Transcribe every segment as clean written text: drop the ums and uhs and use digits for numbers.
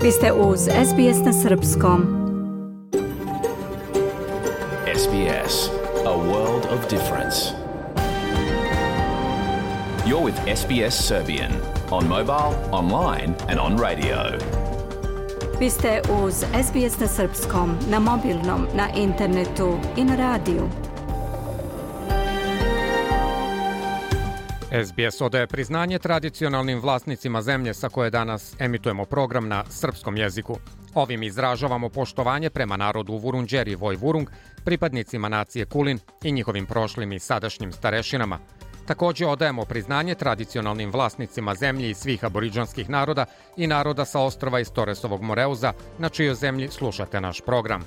Vi ste uz SBS na Srpskom. SBS, a world of difference. You're with SBS Serbian on mobile, online and on radio. Vi ste uz SBS na Srpskom, na mobilnom, na internetu i na radiju. SBS odaje priznanje tradicionalnim vlasnicima zemlje sa koje danas emitujemo program na srpskom jeziku. Ovim izražavamo poštovanje prema narodu Vurundjeri Vojvurung, pripadnicima nacije Kulin i njihovim prošlim i sadašnjim starešinama. Također odajemo priznanje tradicionalnim vlasnicima zemlji i svih aboriđanskih naroda i naroda sa ostrva iz Toresovog Moreuza, na čijoj zemlji slušate naš program.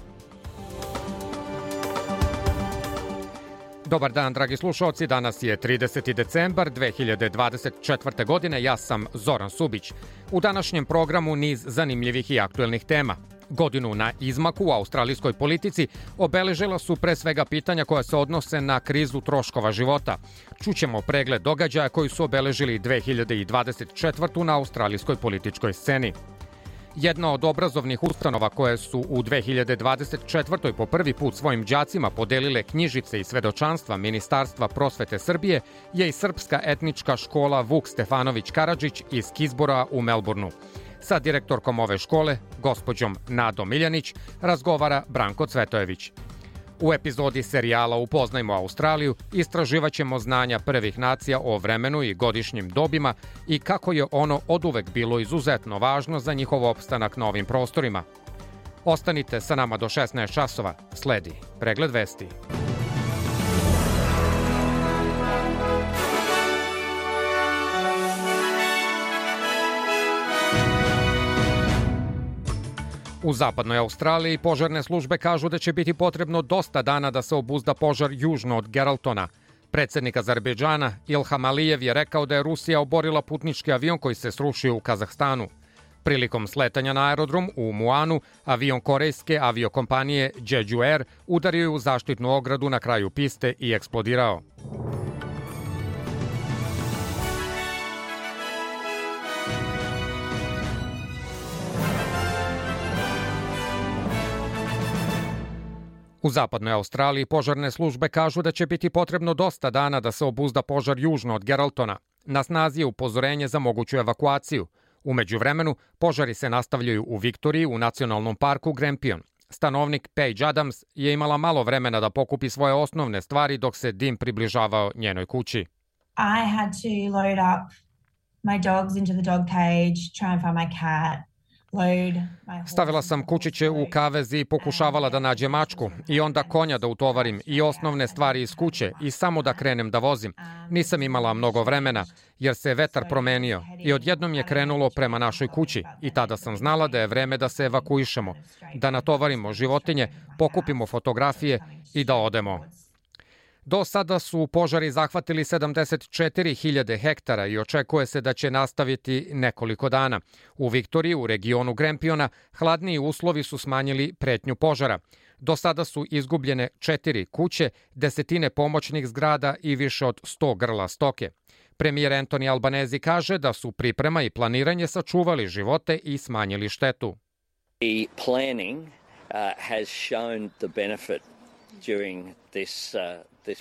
Dobar dan, dragi slušalci, danas je 30. decembar 2024. godine, ja sam Zoran Subić. U današnjem programu niz zanimljivih i aktuelnih tema. Godinu na izmaku u australijskoj politici obeležila su pre svega pitanja koja se odnose na krizu troškova života. Čućemo pregled događaja koji su obeležili 2024. na australijskoj političkoj sceni. Jedna od obrazovnih ustanova koje su u 2024. po prvi put svojim đacima podelile knjižice i svedočanstva Ministarstva prosvete Srbije je i srpska etnička škola Vuk Stefanović Karadžić iz Kizbora u Melbourneu. Sa direktorkom ove škole, gospođom Nadom Miljanić, razgovara Branko Cvetojević. U epizodi serijala Upoznajmo Australiju istraživat ćemo znanja prvih nacija o vremenu i godišnjim dobima i kako je ono oduvek bilo izuzetno važno za njihov opstanak na ovim prostorima. Ostanite sa nama do 16 časova, sledi pregled vesti. U zapadnoj Australiji požarne službe kažu da će biti potrebno dosta dana da se obuzda požar južno od Geraldtona. Predsjednik Azerbejdžana Ilham Alijev je rekao da je Rusija oborila putnički avion koji se srušio u Kazahstanu. Prilikom sletanja na aerodrom u Muanu, avion korejske aviokompanije Jeju Air udario je u zaštitnu ogradu na kraju piste i eksplodirao. U zapadnoj Australiji požarne službe kažu da će biti potrebno dosta dana da se obuzda požar južno od Geraldtona. Na snazi je upozorenje za moguću evakuaciju. U međuvremenu, požari se nastavljaju u Viktoriji u nacionalnom parku Grampian. Stanovnik Paige Adams je imala malo vremena da pokupi svoje osnovne stvari dok se dim približavao njenoj kući. I had to load up my dogs into the dog cage, try and find my cat. Stavila sam kučiće u kavez i pokušavala da nađem mačku i onda konja da utovarim i osnovne stvari iz kuće i samo da krenem da vozim. Nisam imala mnogo vremena jer se vetar promenio i odjednom je krenulo prema našoj kući i tada sam znala da je vreme da se evakuišemo, da natovarimo životinje, pokupimo fotografije i da odemo. Do sada su požari zahvatili 74.000 hektara i očekuje se da će nastaviti nekoliko dana. U Viktoriji, u regionu Grampiana, hladniji uslovi su smanjili pretnju požara. Do sada su izgubljene 4 kuće, desetine pomoćnih zgrada i više od 100 grla stoke. Premijer Anthony Albanese kaže da su priprema i planiranje sačuvali živote i smanjili štetu. The planning has shown the benefit during this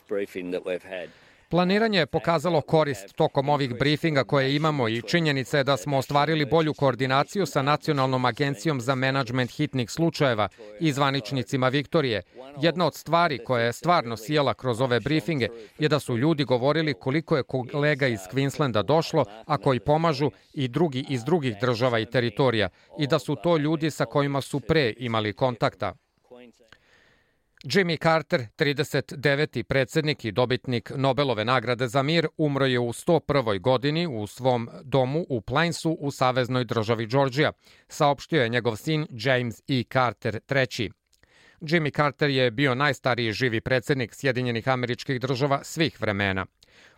briefing that we've had. Planiranje je pokazalo korist tokom ovih briefinga koje imamo i činjenica je da smo ostvarili bolju koordinaciju sa Nacionalnom agencijom za menadžment hitnih slučajeva i zvaničnicima Viktorije. Jedna od stvari koja je stvarno sijela kroz ove briefinge je da su ljudi govorili koliko je kolega iz Queenslanda došlo, a koji pomažu i drugi iz drugih država i teritorija i da su to ljudi sa kojima su pre imali kontakta. Jimmy Carter, 39. predsjednik i dobitnik Nobelove nagrade za mir, umro je u 101. godini u svom domu u Plainsu u saveznoj državi Georgia, saopštio je njegov sin James E. Carter III. Jimmy Carter je bio najstariji živi predsjednik Sjedinjenih Američkih Država svih vremena.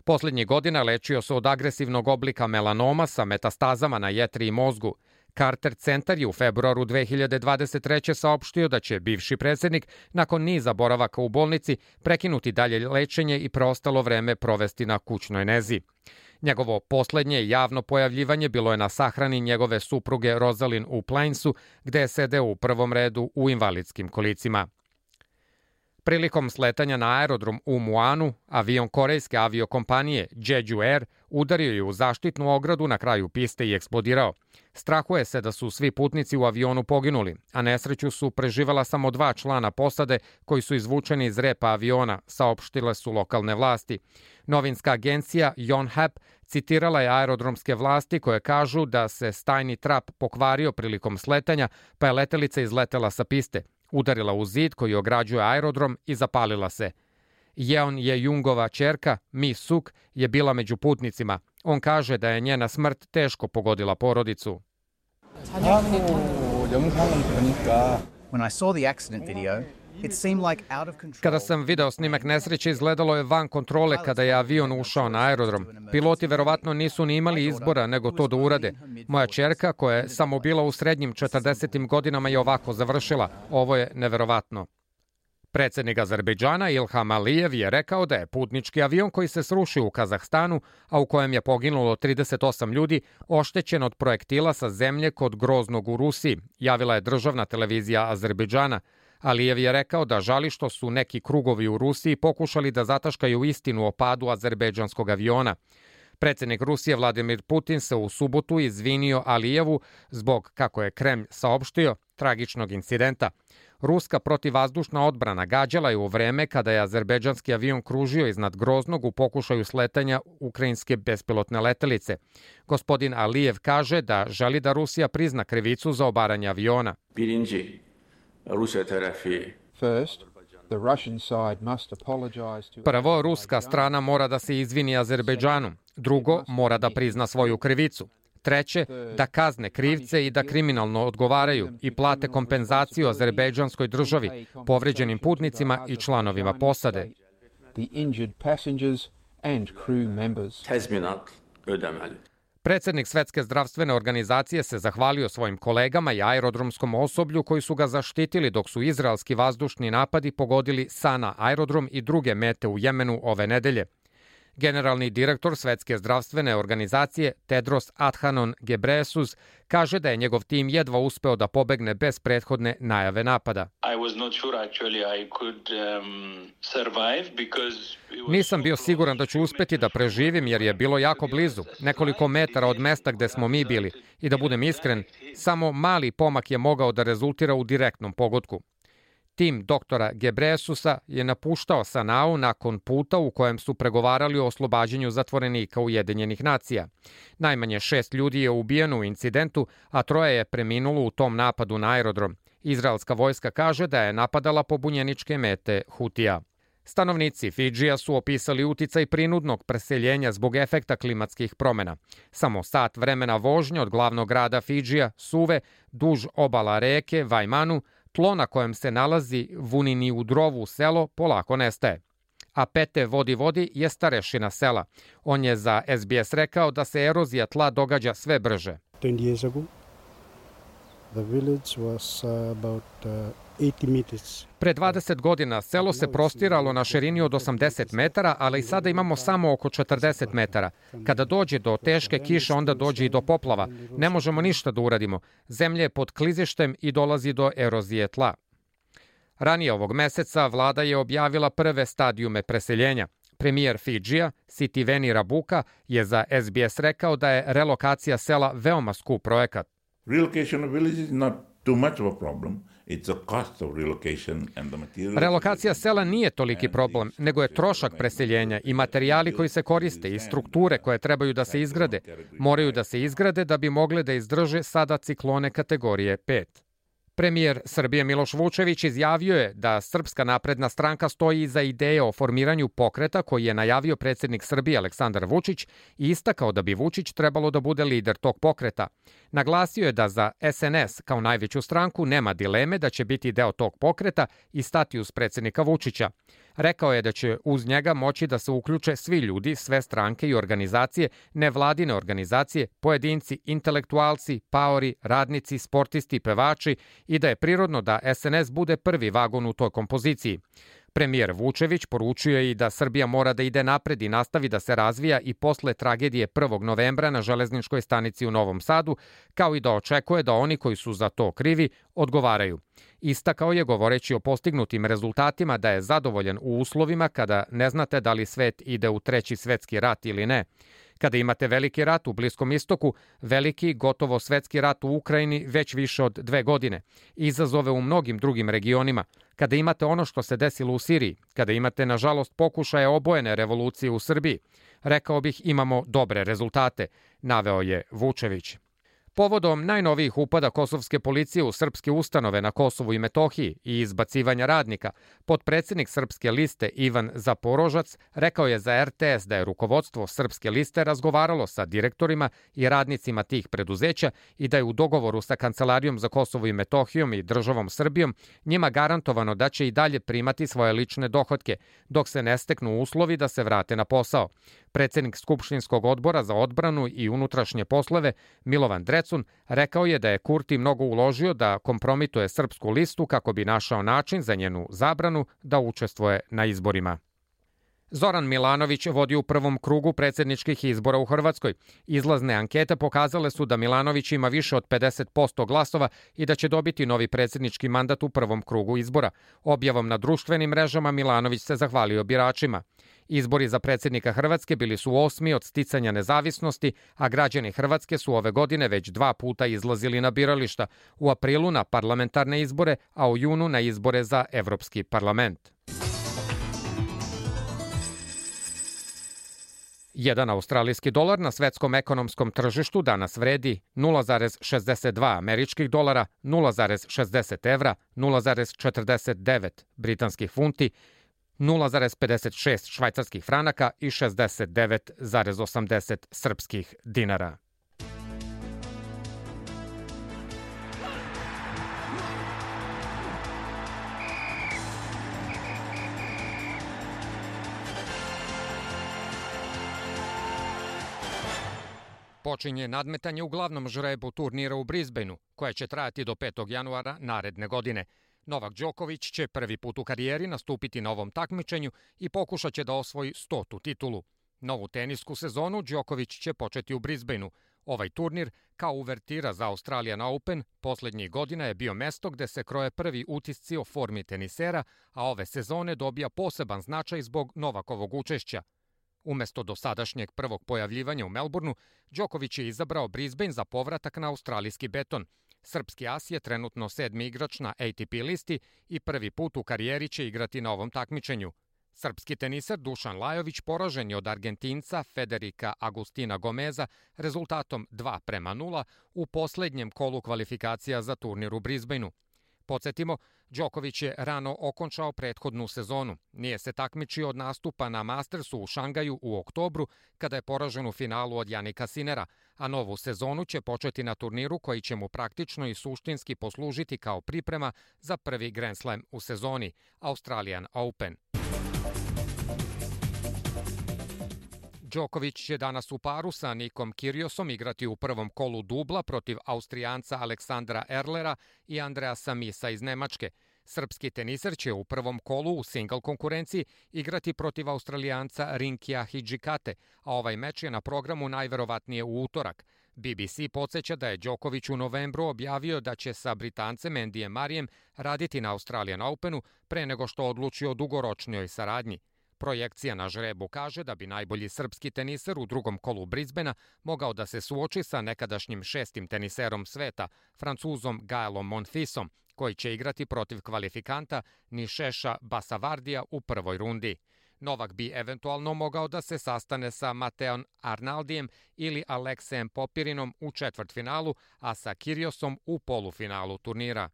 Posljednjih godina lečio se od agresivnog oblika melanoma sa metastazama na jetri i mozgu. Carter centar je u februaru 2023. saopštio da će bivši predsjednik nakon niza boravaka u bolnici prekinuti dalje lečenje i preostalo vreme provesti na kućnoj nezi. Njegovo poslednje javno pojavljivanje bilo je na sahrani njegove supruge Rosalind u Plainsu, gde je sedeo u prvom redu u invalidskim kolicima. Prilikom sletanja na aerodrom u Muanu, avion korejske aviokompanije Jeju Air udario je u zaštitnu ogradu na kraju piste i eksplodirao. Strahuje se da su svi putnici u avionu poginuli, a nesreću su preživela samo 2 člana posade koji su izvučeni iz repa aviona, saopštile su lokalne vlasti. Novinska agencija Yonhap citirala je aerodromske vlasti koje kažu da se stajni trap pokvario prilikom sletanja, pa je letelica izletela sa piste, udarila u zid koji ograđuje aerodrom i zapalila se. Jeon Je-jungova ćerka, Mi Suk, je bila među putnicima. On kaže da je njena smrt teško pogodila porodicu. When I saw the accident video, it seemed like out of control. Kada sam video snimak nesreće, izgledalo je van kontrole kada je avion ušao na aerodrom. Piloti verovatno nisu ni imali izbora nego to da urade. Moja ćerka, koja je samo bila u srednjim 40. godinama, je ovako završila. Ovo je neverovatno. Predsednik Azerbejdžana Ilham Alijev je rekao da je putnički avion koji se srušio u Kazahstanu, a u kojem je poginulo 38 ljudi, oštećen od projektila sa zemlje kod Groznog u Rusiji, javila je državna televizija Azerbejdžana. Alijev je rekao da žali što su neki krugovi u Rusiji pokušali da zataškaju istinu o padu azerbejdžanskog aviona. Predsednik Rusije Vladimir Putin se u subotu izvinio Alijevu zbog, kako je Kremlj saopštio, tragičnog incidenta. Ruska protivvazdušna odbrana gađala je u vreme kada je azerbejdžanski avion kružio iznad Groznog u pokušaju sletanja ukrajinske bespilotne letelice. Gospodin Alijev kaže da želi da Rusija prizna krivicu za obaranje aviona. Prvo, ruska strana mora da se izvini Azerbejdžanu. Drugo, mora da prizna svoju krivicu. Treće, da kazne krivce i da kriminalno odgovaraju i plate kompenzaciju azerbejdžanskoj državi, povređenim putnicima i članovima posade. Predsednik Svetske zdravstvene organizacije se zahvalio svojim kolegama i aerodromskom osoblju koji su ga zaštitili dok su izraelski vazdušni napadi pogodili Sana aerodrom i druge mete u Jemenu ove nedelje. Generalni direktor Svetske zdravstvene organizacije Tedros Adhanom Ghebreyesus kaže da je njegov tim jedva uspeo da pobegne bez prethodne najave napada. Nisam bio siguran da ću uspeti da preživim jer je bilo jako blizu, nekoliko metara od mesta gde smo mi bili. I da budem iskren, samo mali pomak je mogao da rezultira u direktnom pogodku. Tim doktora Gebreyesusa je napuštao Sanau nakon puta u kojem su pregovarali o oslobađanju zatvorenika Ujedinjenih nacija. Najmanje 6 ljudi je ubijeno u incidentu, a 3 je preminulo u tom napadu na aerodrom. Izraelska vojska kaže da je napadala pobunjeničke mete Hutija. Stanovnici Fidžija su opisali uticaj prinudnog preseljenja zbog efekta klimatskih promena. Samo sat vremena vožnje od glavnog grada Fidžija, Suve, duž obala reke Vajmanu, tlo na kojem se nalazi Vunini u Drovu selo polako nestaje. A Pete Vodi je starešina sela. On je za SBS rekao da se erozija tla događa sve brže. 20 years ago, the village was about 80 meters. Pre 20 godina selo se prostiralo na širini od 80 metara, ali i sada imamo samo oko 40 metara. Kada dođe do teške kiše, onda dođe i do poplava. Ne možemo ništa da uradimo. Zemlja je pod klizištem i dolazi do erozije tla. Ranije ovog meseca vlada je objavila prve stadijume preseljenja. Premijer Fidžija, Sitiveni Rabuka, je za SBS rekao da je relokacija sela veoma skup projekat. Relocation of villages is not too much of a problem. Relokacija sela nije toliki problem, nego je trošak preseljenja i materijali koji se koriste i strukture koje trebaju da se izgrade. Moraju da se izgrade da bi mogle da izdrže sada ciklone kategorije 5. Premijer Srbije Miloš Vučević izjavio je da Srpska napredna stranka stoji iza ideje o formiranju pokreta koji je najavio predsednik Srbije Aleksandar Vučić i istakao da bi Vučić trebalo da bude lider tog pokreta. Naglasio je da za SNS kao najveću stranku nema dileme da će biti deo tog pokreta i stati uz predsednika Vučića. Rekao je da će uz njega moći da se uključe svi ljudi, sve stranke i organizacije, nevladine organizacije, pojedinci, intelektualci, paori, radnici, sportisti, pevači i da je prirodno da SNS bude prvi vagon u toj kompoziciji. Premijer Vučević poručio je i da Srbija mora da ide napred i nastavi da se razvija i posle tragedije 1. novembra na železničkoj stanici u Novom Sadu, kao i da očekuje da oni koji su za to krivi odgovaraju. Istakao je, govoreći o postignutim rezultatima, da je zadovoljan u uslovima kada ne znate da li svet ide u treći svetski rat ili ne. Kada imate veliki rat u Bliskom istoku, veliki, gotovo svetski rat u Ukrajini već više od 2 godine, izazove u mnogim drugim regionima, kada imate ono što se desilo u Siriji, kada imate, nažalost, pokušaje obojene revolucije u Srbiji, rekao bih imamo dobre rezultate, naveo je Vučević. Povodom najnovijih upada kosovske policije u srpske ustanove na Kosovu i Metohiji i izbacivanja radnika, potpredsednik Srpske liste Ivan Zaporožac rekao je za RTS da je rukovodstvo Srpske liste razgovaralo sa direktorima i radnicima tih preduzeća i da je u dogovoru sa Kancelarijom za Kosovo i Metohijom i državom Srbijom njima garantovano da će i dalje primati svoje lične dohotke, dok se ne steknu uslovi da se vrate na posao. Predsednik Skupštinskog odbora za odbranu i unutrašnje poslove Milovan Drecun rekao je da je Kurti mnogo uložio da kompromituje Srpsku listu kako bi našao način za njenu zabranu da učestvuje na izborima. Zoran Milanović vodi u prvom krugu predsjedničkih izbora u Hrvatskoj. Izlazne ankete pokazale su da Milanović ima više od 50% glasova i da će dobiti novi predsjednički mandat u prvom krugu izbora. Objavom na društvenim mrežama Milanović se zahvalio biračima. Izbori za predsjednika Hrvatske bili su 8. od sticanja nezavisnosti, a građani Hrvatske su ove godine već 2 puta izlazili na birališta, u aprilu na parlamentarne izbore, a u junu na izbore za Evropski parlament. Jedan australijski dolar na svetskom ekonomskom tržištu danas vredi 0,62 američkih dolara, 0,60 evra, 0,49 britanskih funti, 0,56 švajcarskih franaka i 69,80 srpskih dinara. Počinje nadmetanje u glavnom žrebu turnira u Brisbaneu, koje će trajati do 5. januara naredne godine. Novak Đoković će prvi put u karijeri nastupiti na ovom takmičenju i pokušat će da osvoji 100. titulu. Novu tenisku sezonu Đoković će početi u Brisbaneu. Ovaj turnir, kao uvertira za Australian Open, poslednjih godina je bio mesto gde se kroje prvi utisci o formi tenisera, a ove sezone dobija poseban značaj zbog Novakovog učešća. Umesto dosadašnjeg prvog pojavljivanja u Melbourneu, Đoković je izabrao Brisbane za povratak na australijski beton. Srpski as je trenutno 7. igrač na ATP listi i prvi put u karijeri će igrati na ovom takmičenju. Srpski teniser Dušan Lajović poražen je od Argentinca Federica Agustina Gomeza rezultatom 2:0 u poslednjem kolu kvalifikacija za turnir u Brisbaneu. Podsjetimo, Đoković je rano okončao prethodnu sezonu. Nije se takmičio od nastupa na Mastersu u Šangaju u oktobru, kada je poražen u finalu od Janika Sinera, a novu sezonu će početi na turniru koji će mu praktično i suštinski poslužiti kao priprema za prvi Grand Slam u sezoni, Australian Open. Đoković će danas u paru sa Nikom Kyrgiosom igrati u prvom kolu dubla protiv Austrijanca Aleksandra Erlera i Andreasa Misa iz Nemačke. Srpski teniser će u prvom kolu u single konkurenciji igrati protiv Australijanca Rinkija Hidžikate, a ovaj meč je na programu najverovatnije u utorak. BBC podsjeća da je Đoković u novembru objavio da će sa Britancem Andyjem Murrayem raditi na Australian Openu pre nego što odluči o dugoročnijoj saradnji. Projekcija na žrebu kaže da bi najbolji srpski teniser u drugom kolu Brisbanea mogao da se suoči sa nekadašnjim 6. teniserom sveta, Francuzom Gaelom Monfisom, koji će igrati protiv kvalifikanta Nišeša Basavardija u prvoj rundi. Novak bi eventualno mogao da se sastane sa Mateom Arnaldijem ili Aleksejem Popirinom u četvrtfinalu, a sa Kyrgiosom u polufinalu turnira.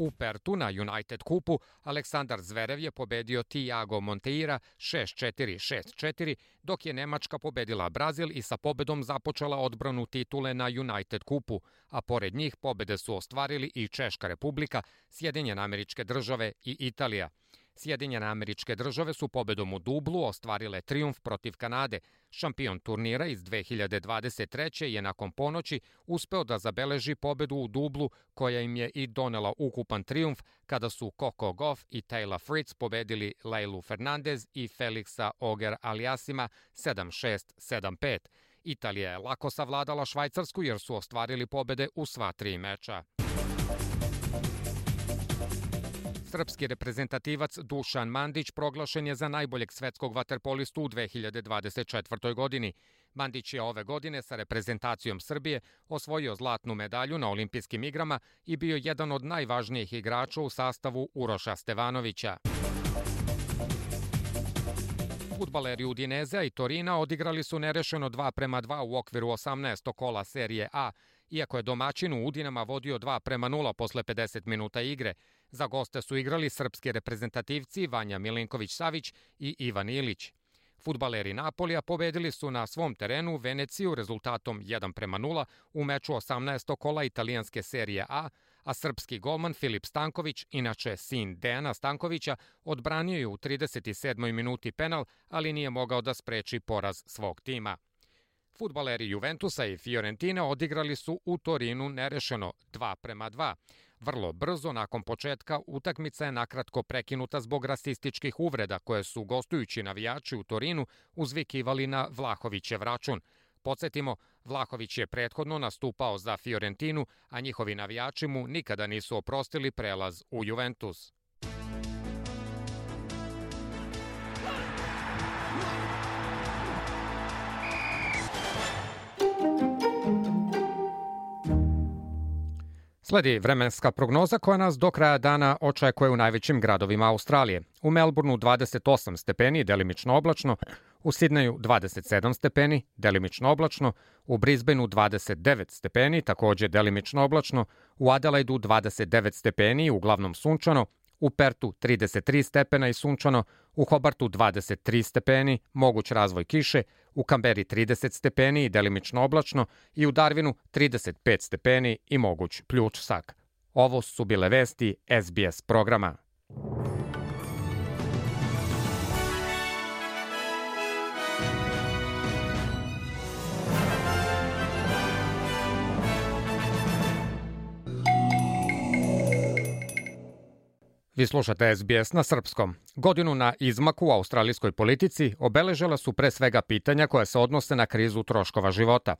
U Pertu na United Kupu Aleksandar Zverev je pobedio Thiago Monteira 6-4, 6-4, dok je Nemačka pobedila Brazil i sa pobedom započela odbranu titule na United Kupu, a pored njih pobede su ostvarili i Češka Republika, Sjedinjene Američke Države i Italija. Sjedinjene Američke Države su pobedom u dublu ostvarile trijumf protiv Kanade. Šampion turnira iz 2023. je nakon ponoći uspeo da zabeleži pobedu u dublu koja im je i donela ukupan trijumf kada su Coco Gauff i Taylor Fritz pobedili Leilu Fernandez i Felixa Auger-Aliassima 7-6, 7-5. Italija je lako savladala Švajcarsku jer su ostvarili pobede u sva 3 meča. Srpski reprezentativac Dušan Mandić proglašen je za najboljeg svetskog vaterpolistu u 2024. godini. Mandić je ove godine sa reprezentacijom Srbije osvojio zlatnu medalju na olimpijskim igrama i bio jedan od najvažnijih igrača u sastavu Uroša Stevanovića. Fudbaleri Udinezea i Torina odigrali su nerešeno 2-2 u okviru 18. kola serije A, iako je domaćin u Udinama vodio 2-0 posle 50 minuta igre. Za goste su igrali srpski reprezentativci Vanja Milinković-Savić i Ivan Ilić. Fudbaleri Napolija pobedili su na svom terenu Veneciju rezultatom 1-0 u meču 18. kola italijanske serije A, a srpski golman Filip Stanković, inače sin Dejana Stankovića, odbranio je u 37. minuti penal, ali nije mogao da spreči poraz svog tima. Fudbaleri Juventusa i Fiorentine odigrali su u Torinu nerešeno 2-2. Vrlo brzo nakon početka utakmica je nakratko prekinuta zbog rasističkih uvreda koje su gostujući navijači u Torinu uzvikivali na Vlahovićev račun. Podsjetimo, Vlahović je prethodno nastupao za Fiorentinu, a njihovi navijači mu nikada nisu oprostili prelaz u Juventus. Sledi vremenska prognoza koja nas do kraja dana očekuje u najvećim gradovima Australije. U Melbourneu 28 stepeni, delimično oblačno, u Sidneju 27 stepeni, delimično oblačno, u Brisbaneu 29 stepeni, takođe delimično oblačno, u Adelaidu 29 stepeni, uglavnom sunčano, u Pertu 33 stepena i sunčano, u Hobartu 23 stepeni, moguć razvoj kiše, u Kamberi 30 stepeni i delimično oblačno i u Darwinu 35 stepeni i moguć pljučsak. Ovo su bile vesti SBS programa. Vi slušate SBS na srpskom. Godinu na izmaku u australijskoj politici obeležila su pre svega pitanja koja se odnose na krizu troškova života.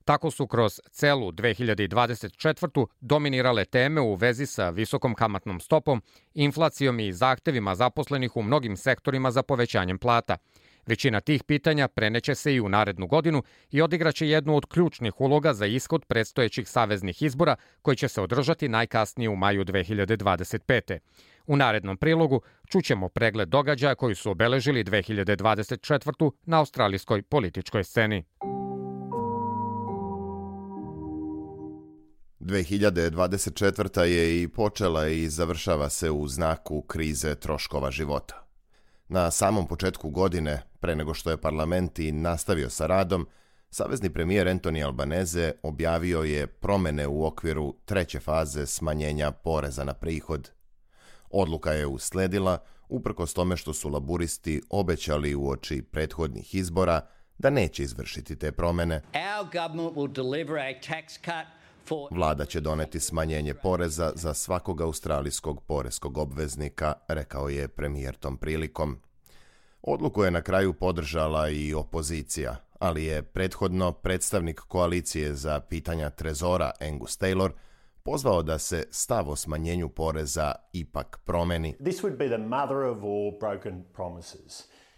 Tako su kroz celu 2024. dominirale teme u vezi sa visokom kamatnom stopom, inflacijom i zahtevima zaposlenih u mnogim sektorima za povećanjem plata. Većina tih pitanja preneće se i u narednu godinu i odigraće jednu od ključnih uloga za ishod predstojećih saveznih izbora koji će se održati najkasnije u maju 2025. U narednom prilogu čućemo pregled događaja koji su obeležili 2024. na australijskoj političkoj sceni. 2024. je i počela i završava se u znaku krize troškova života. Na samom početku godine, pre nego što je parlament i nastavio sa radom, savezni premijer Anthony Albanese objavio je promene u okviru treće faze smanjenja poreza na prihod. Odluka je usledila uprkos tome što su laburisti obećali uoči prethodnih izbora da neće izvršiti te promene. Vlada će doneti smanjenje poreza za svakog australijskog poreskog obveznika, rekao je premijer tom prilikom. Odluku je na kraju podržala i opozicija, ali je prethodno predstavnik koalicije za pitanja trezora Angus Taylor pozvao da se stav o smanjenju poreza ipak promeni.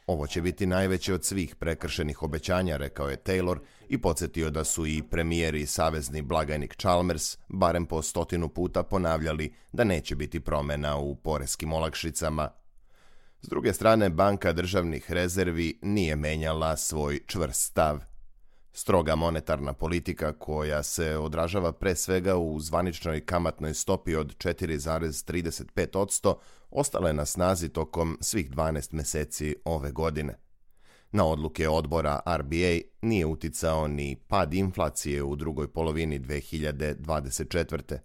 Ovo će biti najveće od svih prekršenih obećanja, rekao je Taylor i podsjetio da su i premijer i savezni blagajnik Chalmers barem po 100 puta ponavljali da neće biti promena u poreskim olakšicama. S druge strane, Banka državnih rezervi nije menjala svoj čvrst stav. Stroga monetarna politika koja se odražava pre svega u zvaničnoj kamatnoj stopi od 4,35% ostala je na snazi tokom svih 12 meseci ove godine. Na odluke odbora RBA nije uticao ni pad inflacije u drugoj polovini 2024.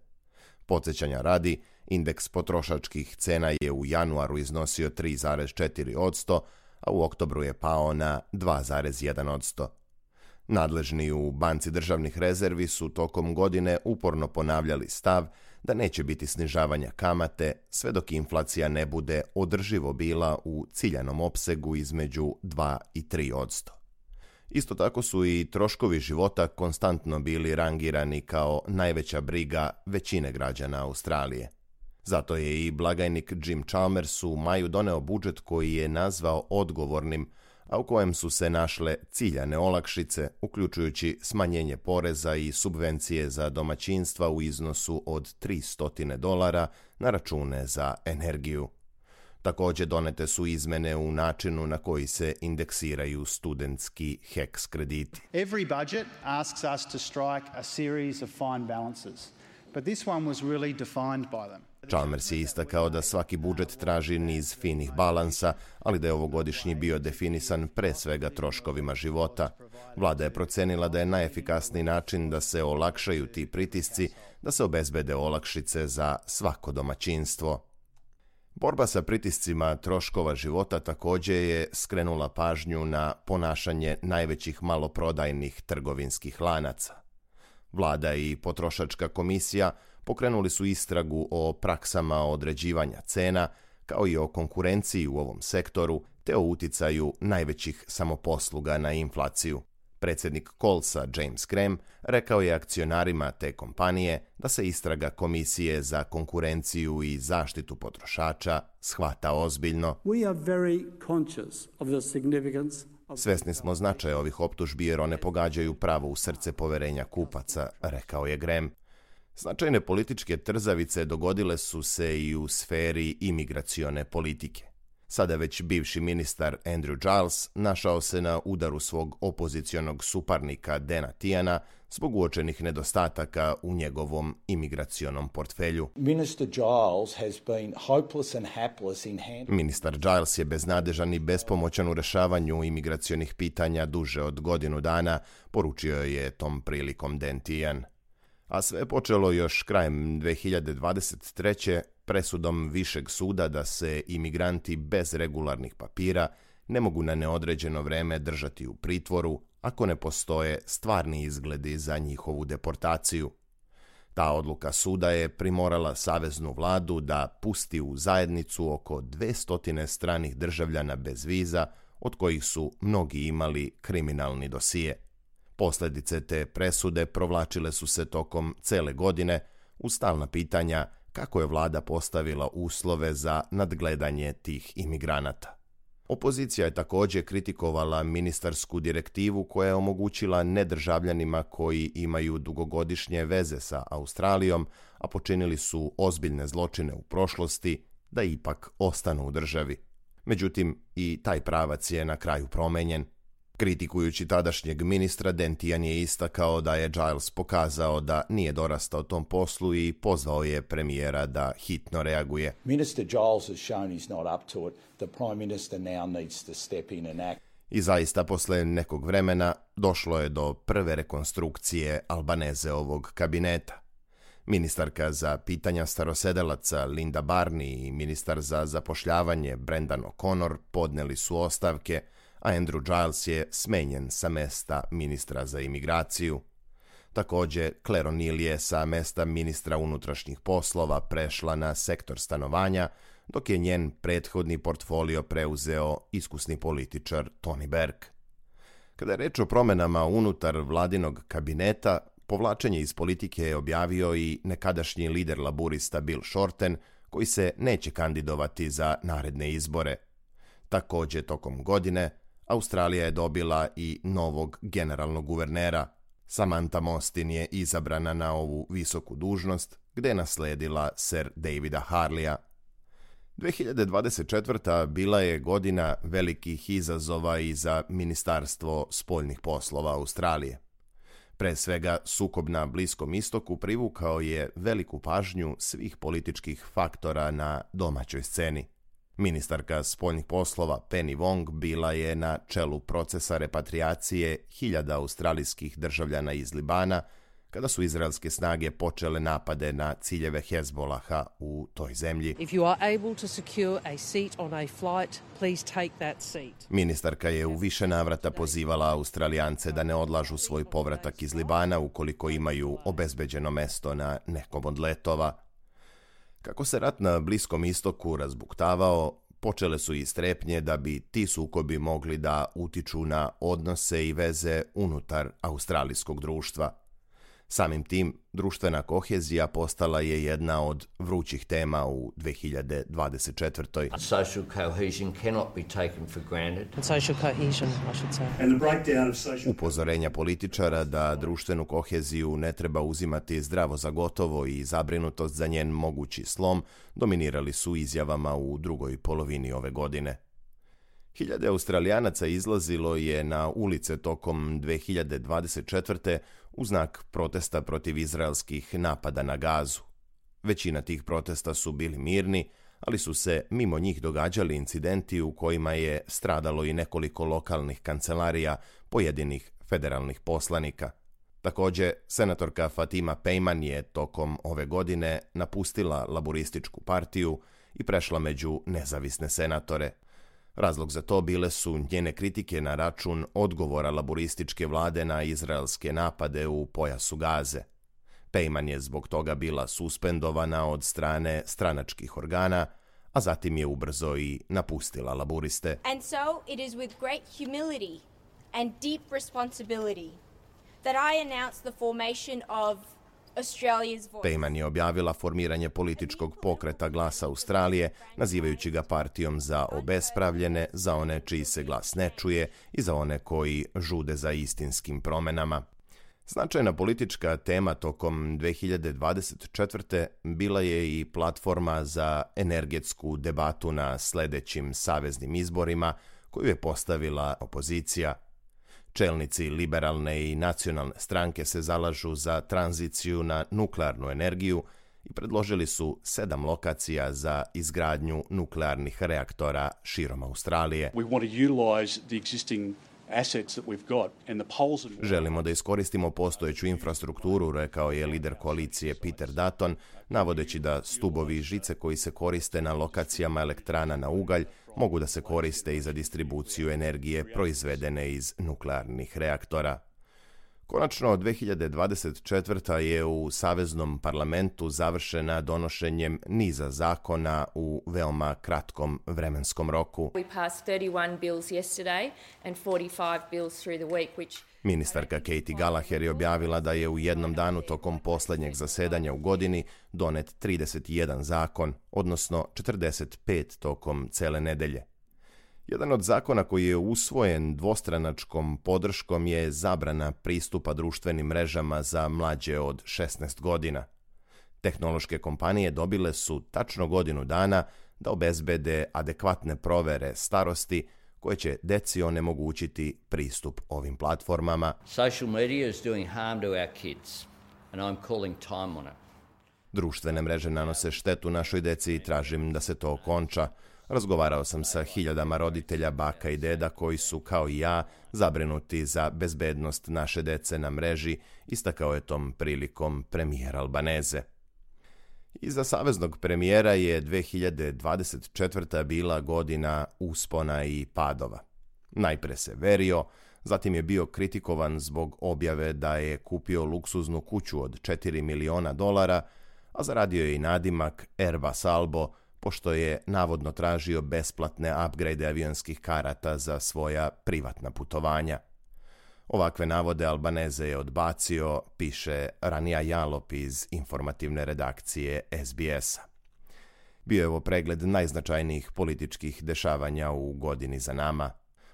Podsjećanja radi, Indeks potrošačkih cena je u januaru iznosio 3,4%, a u oktobru je pao na 2,1%. Nadležni u Banci državnih rezervi su tokom godine uporno ponavljali stav da neće biti snižavanja kamate sve dok inflacija ne bude održivo bila u ciljanom opsegu između 2 i 3%. Isto tako su i troškovi života konstantno bili rangirani kao najveća briga većine građana Australije. Zato je i blagajnik Jim Chalmers u maju doneo budžet koji je nazvao odgovornim, a u kojem su se našle ciljane olakšice, uključujući smanjenje poreza i subvencije za domaćinstva u iznosu od $300 na račune za energiju. Također donete su izmene u načinu na koji se indeksiraju studentski HECS krediti. Every budget asks us to strike a series of fine balances, but this one was really defined by them. Chalmers je istakao da svaki budžet traži niz finih balansa, ali da je ovogodišnji bio definisan pre svega troškovima života. Vlada je procenila da je najefikasniji način da se olakšaju ti pritisci, da se obezbede olakšice za svako domaćinstvo. Borba sa pritiscima troškova života također je skrenula pažnju na ponašanje najvećih maloprodajnih trgovinskih lanaca. Vlada i potrošačka komisija pokrenuli su istragu o praksama određivanja cena, kao i o konkurenciji u ovom sektoru, te o uticaju najvećih samoposluga na inflaciju. Predsjednik Collsa, James Graham, rekao je akcionarima te kompanije da se istraga Komisije za konkurenciju i zaštitu potrošača shvata ozbiljno. Svesni smo značaja ovih optužbi jer one pogađaju pravo u srce poverenja kupaca, rekao je Graham. Značajne političke trzavice dogodile su se i u sferi imigracione politike. Sada već bivši ministar Andrew Giles našao se na udaru svog opozicionog suparnika Dana Tiana zbog uočenih nedostataka u njegovom imigracionom portfelju. Ministar Giles je beznadežan i bespomoćan u rešavanju imigracionih pitanja duže od godinu dana, poručio je tom prilikom Dan Tian. A sve je počelo još krajem 2023. presudom Višeg suda da se imigranti bez regularnih papira ne mogu na neodređeno vreme držati u pritvoru ako ne postoje stvarni izgledi za njihovu deportaciju. Ta odluka suda je primorala saveznu vladu da pusti u zajednicu oko 200 stranih državljana bez viza, od kojih su mnogi imali kriminalni dosije. Posljedice te presude provlačile su se tokom cele godine uz stalna pitanja kako je vlada postavila uslove za nadgledanje tih imigranata. Opozicija je također kritikovala ministarsku direktivu koja je omogućila nedržavljanima koji imaju dugogodišnje veze sa Australijom, a počinili su ozbiljne zločine u prošlosti, da ipak ostanu u državi. Međutim, i taj pravac je na kraju promenjen. Kritikujući tadašnjeg ministra, Dan Tian je istakao da je Giles pokazao da nije dorastao tom poslu i pozvao je premijera da hitno reaguje. I zaista, posle nekog vremena, došlo je do prve rekonstrukcije Albanezeovog kabineta. Ministarka za pitanja starosedelaca Linda Barney i ministar za zapošljavanje Brendan O'Connor podneli su ostavke, a Andrew Giles je smenjen sa mesta ministra za imigraciju. Također, Claire O'Neill je sa mesta ministra unutrašnjih poslova prešla na sektor stanovanja, dok je njen prethodni portfolio preuzeo iskusni političar Tony Berg. Kada je reč o promenama unutar vladinog kabineta, povlačenje iz politike je objavio i nekadašnji lider laburista Bill Shorten, koji se neće kandidovati za naredne izbore. Također, tokom godine, Australija je dobila i novog generalnog guvernera. Samantha Mostyn je izabrana na ovu visoku dužnost, gde je nasledila Sir Davida Harleya. 2024. bila je godina velikih izazova i za Ministarstvo spoljnih poslova Australije. Pre svega, sukob na Bliskom istoku privukao je veliku pažnju svih političkih faktora na domaćoj sceni. Ministarka spoljnih poslova Penny Wong bila je na čelu procesa repatriacije 1000 australijskih državljana iz Libana, kada su izraelske snage počele napade na ciljeve Hezbolaha u toj zemlji. Ministarka je u više navrata pozivala Australijance da ne odlažu svoj povratak iz Libana ukoliko imaju obezbeđeno mesto na nekom od letova. Kako se rat na Bliskom istoku razbuktavao, počele su i strepnje da bi ti sukobi mogli da utiču na odnose i veze unutar australijskog društva. Samim tim, društvena kohezija postala je jedna od vrućih tema u 2024. Social cohesion cannot be taken for granted. Upozorenja političara da društvenu koheziju ne treba uzimati zdravo za gotovo i zabrinutost za njen mogući slom dominirali su izjavama u drugoj polovini ove godine. Hiljade Australijanaca izlazilo je na ulice tokom 2024. u znak protesta protiv izraelskih napada na Gazu. Većina tih protesta su bili mirni, ali su se mimo njih događali incidenti u kojima je stradalo i nekoliko lokalnih kancelarija pojedinih federalnih poslanika. Također, senatorka Fatima Pejman je tokom ove godine napustila Laburističku partiju i prešla među nezavisne senatore. Razlog za to bile su njene kritike na račun odgovora laburističke vlade na izraelske napade u pojasu Gaze. Pejman je zbog toga bila suspendovana od strane stranačkih organa, a zatim je ubrzo i napustila laburiste. And so it is with great humility and deep responsibility that I announce the formation of Australia's Voice. Pejman je objavila formiranje političkog pokreta Glasa Australije, nazivajući ga partijom za obespravljene, za one čiji se glas ne čuje i za one koji žude za istinskim promenama. Značajna politička tema tokom 2024. bila je i platforma za energetsku debatu na sledećim saveznim izborima koju je postavila opozicija. Čelnici liberalne i nacionalne stranke se zalažu za tranziciju na nuklearnu energiju i predložili su 7 lokacija za izgradnju nuklearnih reaktora širom Australije. Želimo da iskoristimo postojeću infrastrukturu, rekao je lider koalicije Peter Dutton, navodeći da stubovi i žice koji se koriste na lokacijama elektrana na ugalj mogu da se koriste i za distribuciju energije proizvedene iz nuklearnih reaktora. Konačno, 2024. je u Saveznom parlamentu završena donošenjem niza zakona u veoma kratkom vremenskom roku. Ministarka Katie Gallagher je objavila da je u jednom danu tokom poslednjeg zasedanja u godini donet 31 zakon, odnosno 45 tokom cele nedelje. Jedan od zakona koji je usvojen dvostranačkom podrškom je zabrana pristupa društvenim mrežama za mlađe od 16 godina. Tehnološke kompanije dobile su tačno godinu dana da obezbede adekvatne provere starosti koje će deci onemogućiti pristup ovim platformama. Social media is doing harm to our kids and I'm calling time on it. Društvene mreže nanose štetu našoj deci i tražim da se to okonča. Razgovarao sam sa hiljadama roditelja, baka i deda koji su, kao i ja, zabrinuti za bezbednost naše dece na mreži, istakao je tom prilikom premijer Albaneze. Iza saveznog premijera je 2024. bila godina uspona i padova. Najpre se verio, zatim je bio kritikovan zbog objave da je kupio luksuznu kuću od $4 miliona, a zaradio je i nadimak Airbus Albo, pošto je navodno tražio besplatne upgrade avionskih karata za svoja privatna putovanja. Ovakve navode Albaneze je odbacio, piše Rania Jalop iz informativne redakcije SBS-a. Bio je ovo pregled najznačajnijih političkih dešavanja u godini za nama.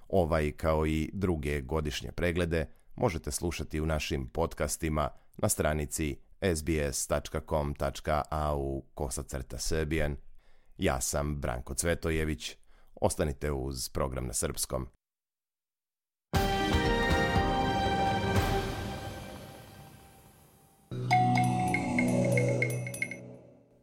Ovaj, kao i druge godišnje preglede, možete slušati u našim podcastima na stranici sbs.com.au/Serbian. Ja sam Branko Cvetojević. Ostanite uz program na srpskom.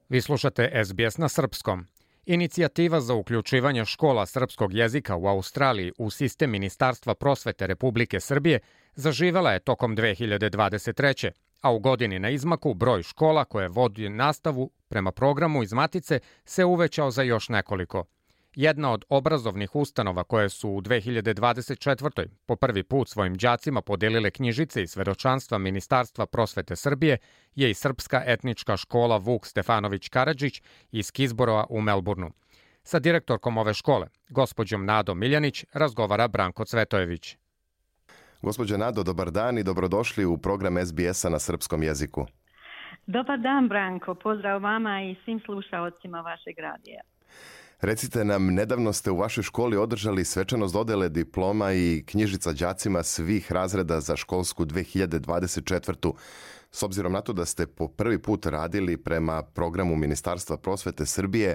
Vi slušate SBS na srpskom. Inicijativa za uključivanje škola srpskog jezika u Australiji u sistem Ministarstva prosvete Republike Srbije zaživela je tokom 2023. a u godini na izmaku broj škola koje vodi nastavu prema programu iz Matice se uvećao za još nekoliko. Jedna od obrazovnih ustanova koje su u 2024. po prvi put svojim đacima podelile knjižice i svedočanstva Ministarstva prosvete Srbije je i Srpska etnička škola Vuk Stefanović Karadžić iz Kizborova u Melbourneu. Sa direktorkom ove škole, gospođom Nadom Miljanić, razgovara Branko Cvetojević. Gospođa Nado, dobar dan i dobrodošli u program SBS-a na srpskom jeziku. Dobar dan, Branko. Pozdrav vama i svim slušaocima vašeg radija. Recite nam, nedavno ste u vašoj školi održali svečanost dodele diploma i knjižica đacima svih razreda za školsku 2024. S obzirom na to da ste po prvi put radili prema programu Ministarstva prosvete Srbije,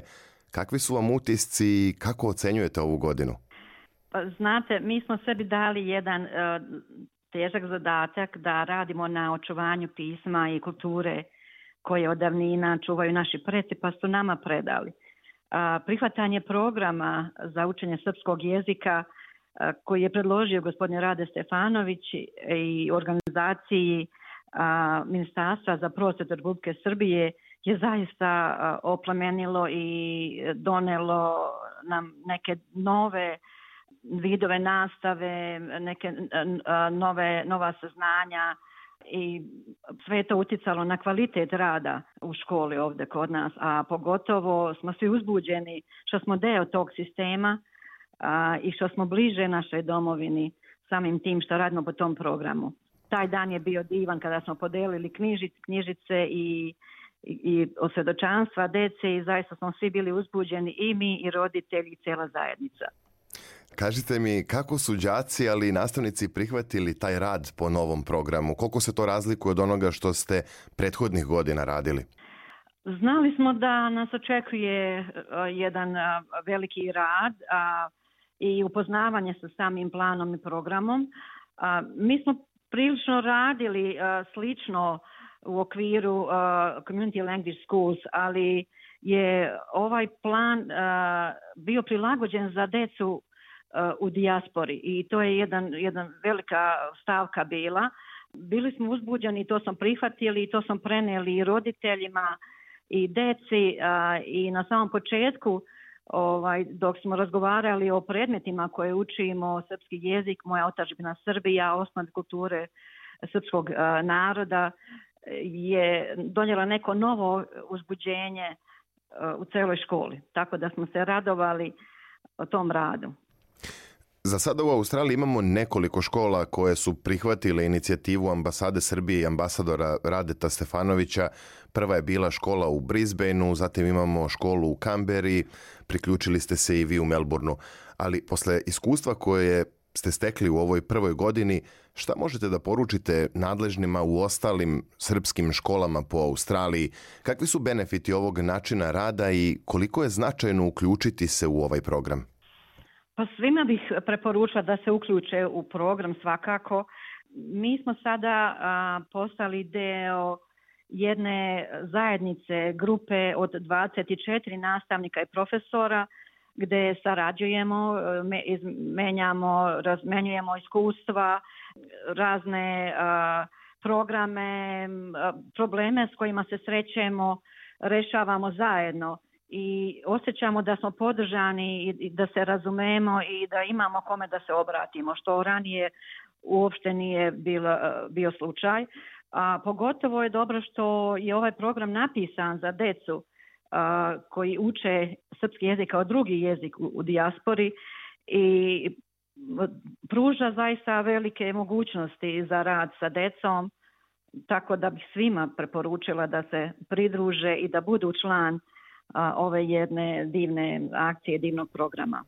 kakvi su vam utisci i kako ocenjujete ovu godinu? Pa, znate, mi smo sebi dali jedan težak zadatak da radimo na očuvanju pisma i kulture koje od davnina čuvaju naši preci, pa su nama predali. Prihvatanje programa za učenje srpskog jezika koji je predložio gospodin Rade Stefanović i organizaciji Ministarstva za prosvetu Republike Srbije je zaista oplemenilo i donelo nam neke nove vidove nastave, neke nova saznanja i sve je to uticalo na kvalitet rada u školi ovdje kod nas, a pogotovo smo svi uzbuđeni što smo deo tog sistema i što smo bliže našoj domovini samim tim što radimo po tom programu. Taj dan je bio divan kada smo podelili knjižice i osvjedočanstva dece i zaista smo svi bili uzbuđeni, i mi i roditelji i cijela zajednica. Kažite mi, kako su đaci, ali i nastavnici prihvatili taj rad po novom programu? Koliko se to razlikuje od onoga što ste prethodnih godina radili? Znali smo da nas očekuje jedan veliki rad i upoznavanje sa samim planom i programom. Mi smo prilično radili slično u okviru Community Language Schools, ali je ovaj plan bio prilagođen za decu u dijaspori i to je jedna velika stavka bila. Bili smo uzbuđeni i to smo prihvatili i to smo preneli i roditeljima i deci i na samom početku dok smo razgovarali o predmetima koje učimo, srpski jezik, moja otadžbina Srbija, osnove kulture srpskog naroda, je donijela neko novo uzbuđenje u celoj školi. Tako da smo se radovali o tom radu. Za sada u Australiji imamo nekoliko škola koje su prihvatile inicijativu ambasade Srbije i ambasadora Radeta Stefanovića. Prva je bila škola u Brisbaneu, zatim imamo školu u Kamberi, priključili ste se i vi u Melbourneu. Ali posle iskustva koje ste stekli u ovoj prvoj godini, šta možete da poručite nadležnima u ostalim srpskim školama po Australiji? Kakvi su benefiti ovog načina rada i koliko je značajno uključiti se u ovaj program? Pa svima bih preporučila da se uključe u program svakako. Mi smo sada postali deo jedne zajednice, grupe od 24 nastavnika i profesora gde sarađujemo, razmenjujemo iskustva, razne programe, probleme s kojima se srećemo, rešavamo zajedno. I osjećamo da smo podržani i da se razumemo i da imamo kome da se obratimo, što ranije uopšte nije bio slučaj. Pogotovo je dobro što je ovaj program napisan za decu koji uče srpski jezik kao drugi jezik u dijaspori i pruža zaista velike mogućnosti za rad sa decom, tako da bih svima preporučila da se pridruže i da budu član ove jedne divne akcije, divnog programa.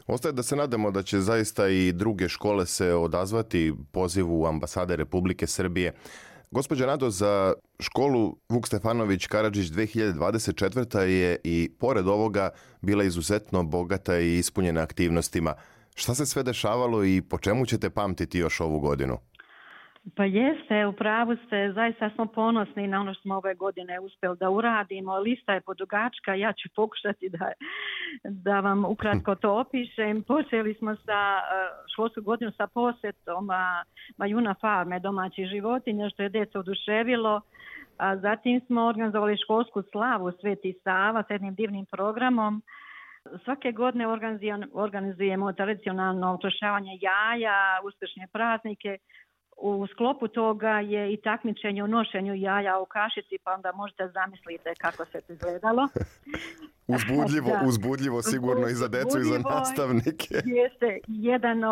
Ostaje da se nadamo da će zaista i druge škole se odazvati pozivu ambasade Republike Srbije. Gospođa Nado, za školu Vuk Stefanović Karadžić 2024. je i pored ovoga bila izuzetno bogata i ispunjena aktivnostima. Šta se sve dešavalo i po čemu ćete pamtiti još ovu godinu? Pa jeste, u pravu ste, zaista smo ponosni na ono što smo ove godine uspjeli da uradimo. Lista je podugačka, ja ću pokušati da vam ukratko to opišem. Počeli smo sa školsku godinu sa posjetom Majuna farme domaćih životinja, što je djeca oduševilo. A zatim smo organizovali školsku slavu Sveti Sava s jednim divnim programom. Svake godine organizujemo tradicionalno utrošavanje jaja, uskršnje praznike. U sklopu toga je i takmičenje u nošenju jaja u kašici, pa onda možete zamislite kako se to izgledalo. Uzbudljivo sigurno i za decu i za nastavnike. Jeste, jedan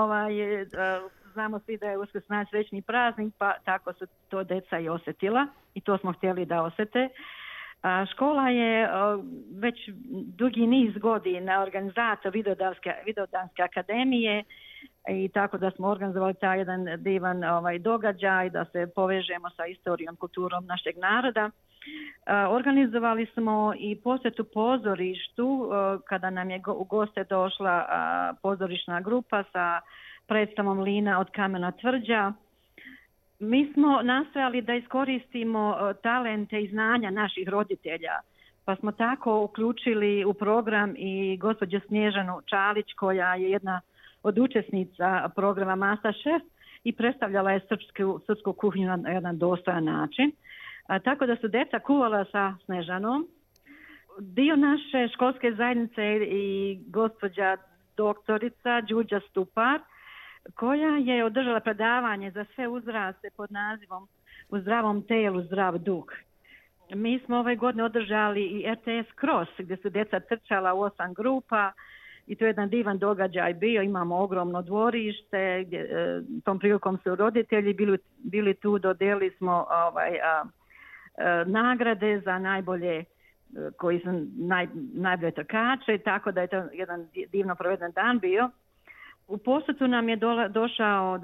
znamo svi da je Uskrs najsrećniji praznik, pa tako su to deca i osjetila i to smo htjeli da osjete. Škola je već dugi niz godina organizator Vidovdanske akademije i tako da smo organizovali taj jedan divan događaj da se povežemo sa istorijom, kulturom našeg naroda. Organizovali smo i posjetu pozorištu kada nam je u goste došla pozorišna grupa sa predstavom Lina od kamena tvrđa. Mi smo nastojali da iskoristimo talente i znanja naših roditelja, pa smo tako uključili u program i gospođu Snježanu Čalić, koja je jedna od učesnica programa MasterChef i predstavljala je srpsku kuhinju na jedan dostojan način. Tako da su djeca kuvala sa Snežanom. Dio naše školske zajednice i gospođa doktorica Đurđa Stupar, koja je održala predavanje za sve uzraste pod nazivom U zdravom telu, zdrav duh. Mi smo ove godine održali i RTS Cross, gdje su djeca trčala u 8 grupa i to je jedan divan događaj bio. Imamo ogromno dvorište, tom prilikom su roditelji bili tu, dodelili smo nagrade za najbolje koji su najbolje trkače, tako da je to jedan divno proveden dan bio. U posjetu nam je došao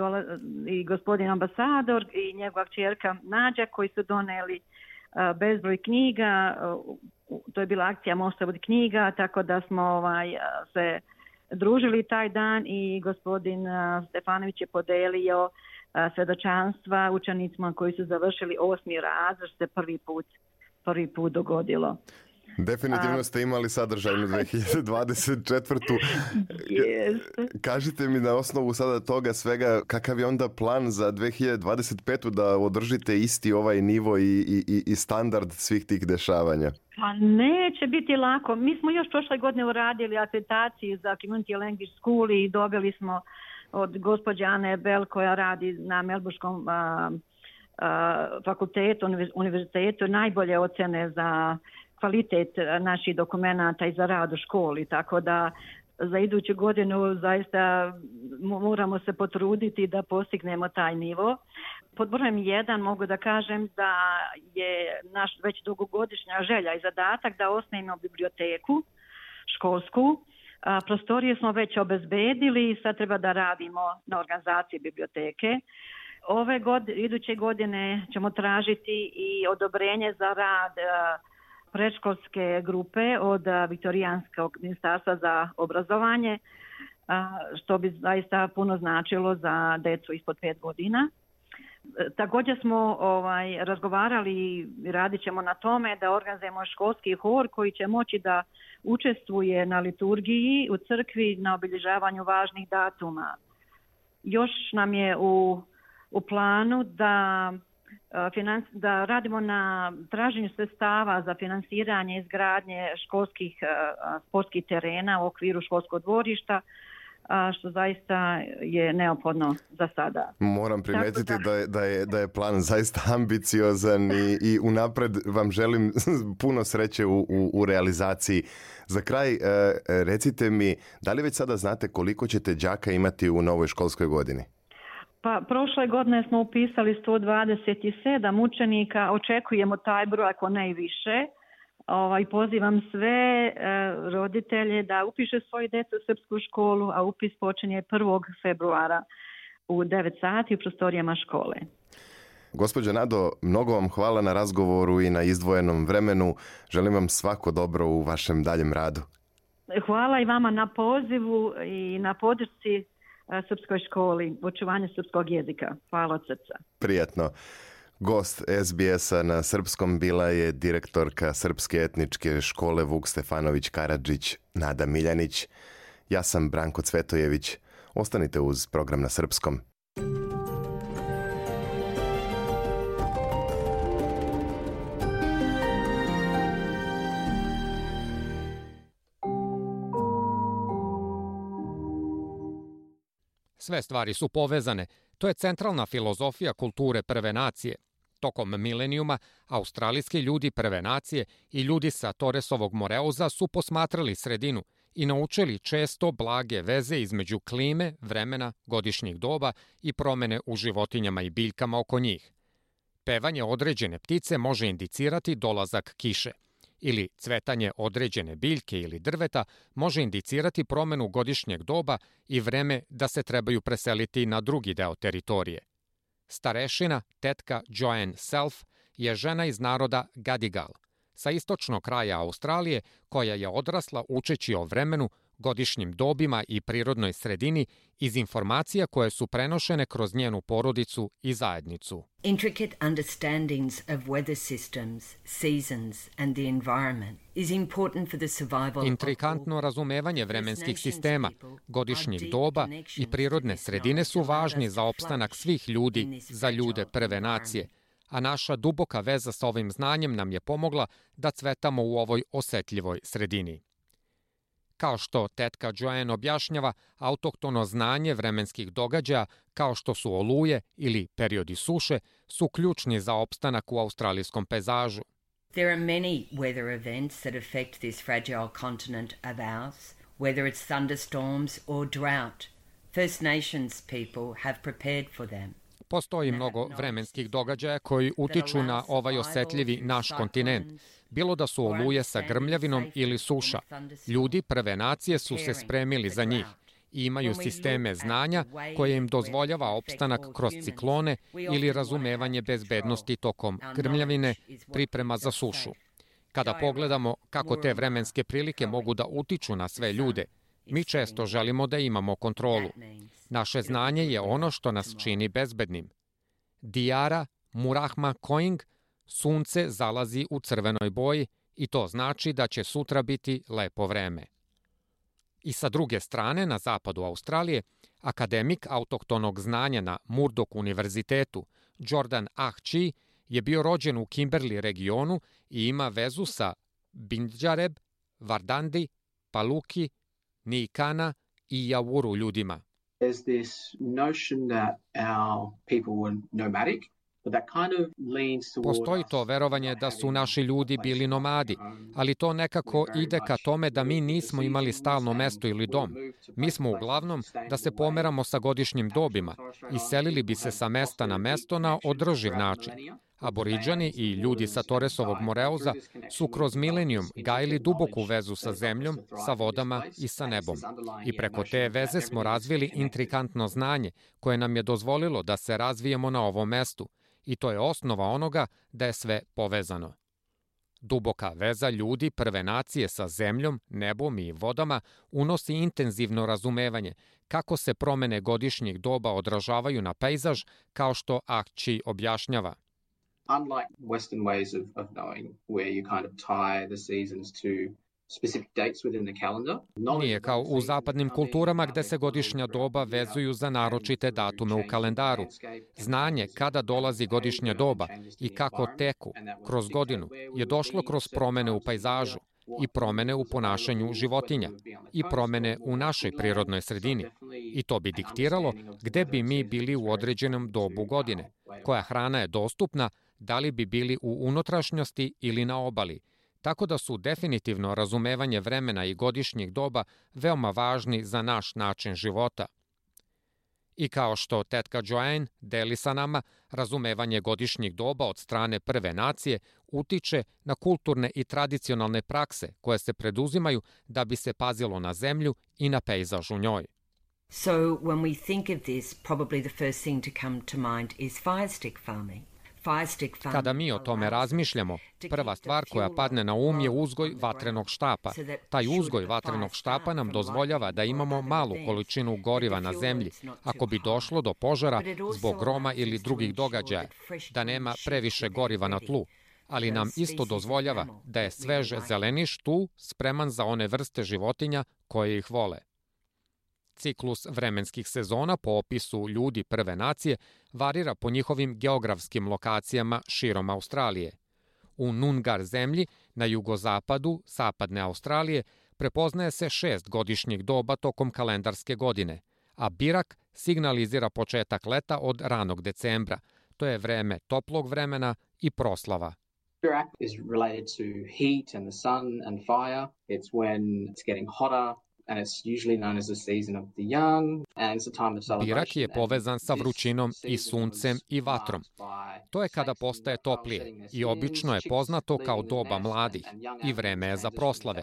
i gospodin ambasador i njegova kćerka Nađa, koji su doneli bezbroj knjiga. To je bila akcija Možete voditi knjiga, tako da smo se družili taj dan i gospodin Stefanović je podelio svjedočanstva učenicima koji su završili 8. razred, što se prvi put dogodilo. Definitivno ste imali sadržajnu 2024. Kažite mi na osnovu sada toga svega, kakav je onda plan za 2025. da održite isti ovaj nivo i standard svih tih dešavanja? Pa neće biti lako. Mi smo još prošle godine uradili akreditaciju za Community Language School i dobili smo od gospođe Ane Bell, koja radi na Melburskom fakultetu, univerzitetu, najbolje ocjene za kvalitet naših dokumenata i za rad u školi, tako da za iduću godinu zaista moramo se potruditi da postignemo taj nivo. Pod brojem 1 mogu da kažem da je naš već dugogodišnja želja i zadatak da osnujemo biblioteku školsku. Prostorije smo već obezbedili i sad treba da radimo na organizaciji biblioteke. Iduće godine ćemo tražiti i odobrenje za rad predškolske grupe od Viktorijanskog ministarstva za obrazovanje, što bi zaista puno značilo za djecu ispod 5 godina. Također smo razgovarali i radit ćemo na tome da organizujemo školski hor koji će moći da učestvuje na liturgiji u crkvi na obilježavanju važnih datuma. Još nam je u planu da radimo na traženju sredstava za finansiranje izgradnje sportskih terena u okviru školskog dvorista, što zaista je neophodno za sada. Moram primijetiti da je plan zaista ambiciozan i unapred vam želim puno sreće u realizaciji. Za kraj, recite mi, da li već sada znate koliko ćete đaka imati u novoj školskoj godini? Pa prošle godine smo upisali 127 učenika, očekujemo taj broj ako ne i više. Pozivam sve roditelje da upiše svoju djecu u srpsku školu, a upis počinje 1. februara u 9 sati u prostorijama škole. Gospođo Nado, mnogo vam hvala na razgovoru i na izdvojenom vremenu. Želim vam svako dobro u vašem daljem radu. Hvala i vama na pozivu i na podršci srpskoj školi, očuvanje srpskog jezika. Hvala od srca. Prijatno. Gost SBS-a na srpskom bila je direktorka Srpske etničke škole Vuk Stefanović Karadžić, Nada Miljanić. Ja sam Branko Cvetojević. Ostanite uz program na srpskom. Sve stvari su povezane. To je centralna filozofija kulture prve nacije. Tokom milenijuma, australijski ljudi prve nacije i ljudi sa Torresovog Moreuza su posmatrali sredinu i naučili često blage veze između klime, vremena, godišnjih doba i promene u životinjama i biljkama oko njih. Pevanje određene ptice može indicirati dolazak kiše, ili cvetanje određene biljke ili drveta može indicirati promenu godišnjeg doba i vreme da se trebaju preseliti na drugi deo teritorije. Starešina, tetka Joanne Self, je žena iz naroda Gadigal, sa istočnog kraja Australije, koja je odrasla učeći o vremenu, godišnjim dobima i prirodnoj sredini iz informacija koje su prenošene kroz njenu porodicu i zajednicu. Intricate understandings of weather systems, seasons and the environment is important for the survival. Intrikantno razumevanje vremenskih sistema, godišnjih doba i prirodne sredine su važni za opstanak svih ljudi, za ljude prve nacije, a naša duboka veza sa ovim znanjem nam je pomogla da cvetamo u ovoj osetljivoj sredini. Kao što tetka Joanne objašnjava, autohtono znanje vremenskih događaja, kao što su oluje ili periodi suše, su ključni za opstanak u australijskom pejzažu. There are many weather events that affect this fragile continent of ours, whether it's thunderstorms or drought. First Nations people have prepared for them. Postoji mnogo vremenskih događaja koji utiču na ovaj osetljivi naš kontinent, bilo da su oluje sa grmljavinom ili suša. Ljudi prve nacije su se spremili za njih i imaju sisteme znanja koje im dozvoljava opstanak kroz ciklone ili razumevanje bezbednosti tokom grmljavine, priprema za sušu. Kada pogledamo kako te vremenske prilike mogu da utiču na sve ljude, mi često želimo da imamo kontrolu. Naše znanje je ono što nas čini bezbednim. Diara Murahma Koing, sunce zalazi u crvenoj boji i to znači da će sutra biti lepo vreme. I sa druge strane, na zapadu Australije, akademik autohtonog znanja na Murdoch univerzitetu, Jordan Ahchi, je bio rođen u Kimberley regionu i ima vezu sa Bindjareb, Vardandi, Paluki, Niikana i Yawuru ljudima. There's this notion that our people were nomadic, but that kind of leans towards. Postoji to verovanje da su naši ljudi bili nomadi, ali to nekako ide ka tome da mi nismo imali stalno mesto ili dom. Mi smo uglavnom da se pomeramo sa godišnjim dobima i selili bi se sa mesta na mesto na održiv način. Aboriđani i ljudi sa Torresovog Moreuza su kroz milenijum gajili duboku vezu sa zemljom, sa vodama i sa nebom. I preko te veze smo razvili intrikantno znanje koje nam je dozvolilo da se razvijemo na ovom mestu. I to je osnova onoga da je sve povezano. Duboka veza ljudi prve nacije sa zemljom, nebom i vodama unosi intenzivno razumevanje kako se promene godišnjih doba odražavaju na pejzaž, kao što Ahchi objašnjava. Unlike Western ways of knowing where you kind of tie the seasons to specific dates within the calendar. Nije kao u zapadnim kulturama gde se godišnja doba vezuju za naročite datume u kalendaru. Znanje kada dolazi godišnja doba i kako teku kroz godinu je došlo kroz promene u pejzažu i promene u ponašanju životinja i promene u našoj prirodnoj sredini. I to bi diktiralo gde bi mi bili u određenom dobu godine, koja hrana je dostupna, da li bi bili u unutrašnjosti ili na obali, tako da su definitivno razumevanje vremena i godišnjih doba veoma važni za naš način života. I kao što tetka Joanne deli sa nama, razumevanje godišnjih doba od strane prve nacije utiče na kulturne i tradicionalne prakse koje se preduzimaju da bi se pazilo na zemlju i na pejzaž u njoj. So when we think of this, probably the first thing to come to mind is fire stick farming. Kada mi o tome razmišljamo, prva stvar koja padne na um je uzgoj vatrenog štapa. Taj uzgoj vatrenog štapa nam dozvoljava da imamo malu količinu goriva na zemlji ako bi došlo do požara zbog groma ili drugih događaja, da nema previše goriva na tlu, ali nam isto dozvoljava da je svež zeleniš tu spreman za one vrste životinja koje ih vole. Ciklus vremenskih sezona po opisu ljudi prve nacije varira po njihovim geografskim lokacijama širom Australije. U Nungar zemlji na jugozapadu zapadne Australije prepoznaje se 6 godišnjih doba tokom kalendarske godine, a Birak signalizira početak leta od ranog decembra. To je vreme toplog vremena i proslava. Birak is related to heat and the sun and fire. It's when it's getting hotter. And it's usually known as the season of the young, and it's a time of celebration. Birak je povezan sa vrućinom i suncem i vatrom. To je kada postaje toplije i obično je poznato kao doba mladih i vreme je za proslave.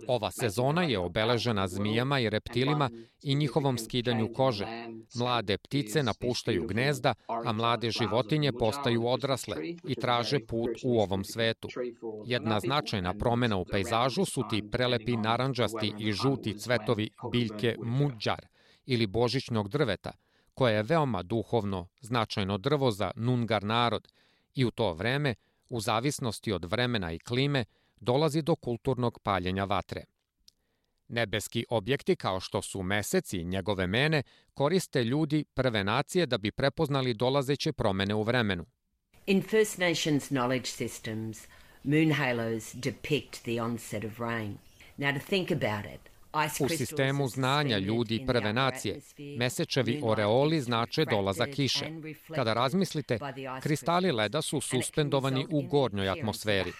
Ova sezona je obeležena zmijama i reptilima i njihovom skidanju kože. Mlade ptice napuštaju gnezda, a mlade životinje postaju odrasle i traže put u ovom svetu. Jedna značajna promena u pejzažu su ti prelepi narandžasti i žuti cvetovi biljke mudžar ili božićnog drveta, koje je veoma duhovno značajno drvo za Nungar narod i u to vreme, u zavisnosti od vremena i klime, dolazi do kulturnog paljenja vatre. Nebeski objekti kao što su mesec i njegove mene koriste ljudi prve nacije da bi prepoznali dolazeće promene u vremenu. In First Nations knowledge systems, moon halos depict the onset of rain. Now to think about it, u sistemu znanja ljudi prve nacije, mesečevi oreoli znače dolazak kiše. Kada razmislite, kristali leda su suspendovani u gornjoj atmosferi.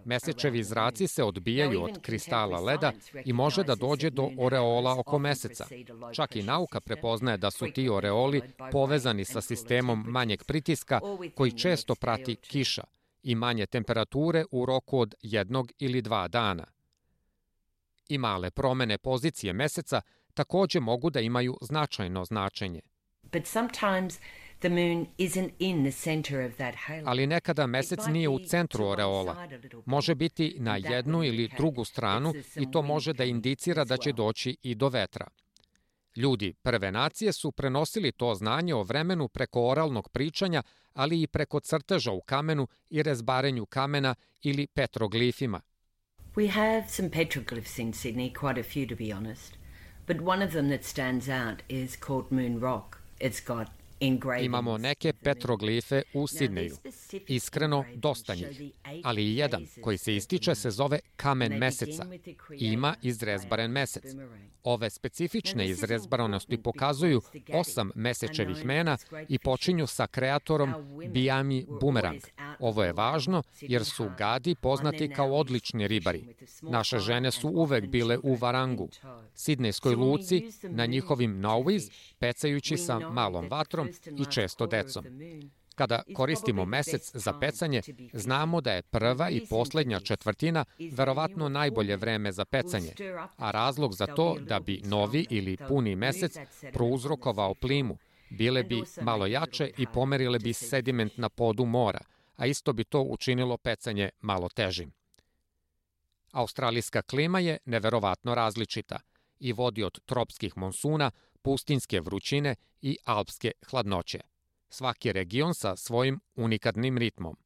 Mesečevi zraci se odbijaju od kristala leda i može da dođe do oreola oko meseca. Čak i nauka prepoznaje da su ti oreoli povezani sa sistemom manjeg pritiska koji često prati kiša i manje temperature u roku od 1 ili 2 dana. I male promene pozicije meseca takođe mogu da imaju značajno značenje. Ali nekada mesec nije u centru oreola. Može biti na jednu ili drugu stranu i to može da indicira da će doći i do vetra. Ljudi prve nacije su prenosili to znanje o vremenu preko oralnog pričanja, ali i preko crteža u kamenu i rezbarenju kamena ili petroglifima. We have some petroglyphs in Sydney, quite a few to be honest, but one of them that stands out is called Moon Rock. It's got Imamo neke petroglife u Sidneju. Iskreno, dosta njih. Ali jedan koji se ističe se zove kamen meseca. Ima izrezbaren mesec. Ove specifične izrezbarenosti pokazuju 8 mesečevih mena i počinju sa kreatorom Biami Bumerang. Ovo je važno jer su gadi poznati kao odlični ribari. Naše žene su uvek bile u Varangu, sidnejskoj luci, na njihovim nauiz, pecajući sa malom vatrom i često decom. Kada koristimo mesec za pecanje, znamo da je prva i poslednja četvrtina verovatno najbolje vreme za pecanje, a razlog za to da bi novi ili puni mesec prouzrokovao plimu, bile bi malo jače i pomerile bi sediment na podu mora, a isto bi to učinilo pecanje malo težim. Australijska klima je neverovatno različita i vodi od tropskih monsuna, pustinjske vrućine i alpske hladnoće. Svaki region sa svojim unikatnim ritmom.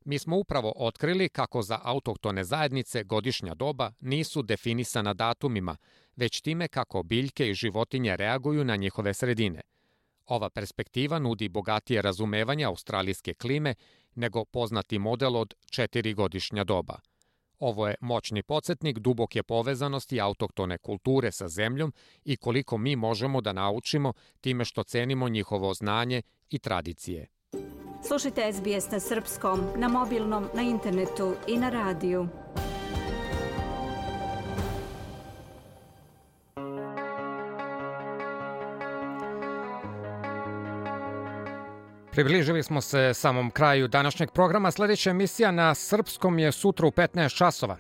Mi smo upravo otkrili kako za autohtone zajednice godišnja doba nisu definisana datumima, već time kako biljke i životinje reaguju na njihove sredine. Ova perspektiva nudi bogatije razumevanje australijske klime nego poznati model od 4 godišnja doba. Ovo je moćni podsjetnik duboke povezanosti autohtone kulture sa zemljom i koliko mi možemo da naučimo time što cenimo njihovo znanje i tradicije. Slušajte SBS na srpskom, na mobilnom, na internetu i na radiju. Približili smo se samom kraju današnjeg programa. Sljedeća emisija na srpskom je sutra u 15 časova.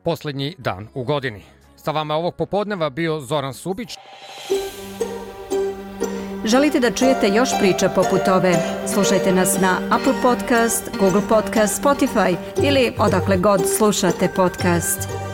Poslednji dan u godini. Sa vama ovog popodneva bio Zoran Subić. Želite da čujete još priča poput ove? Slušajte nas na Apple Podcast, Google Podcast, Spotify ili odakle god slušate podcast.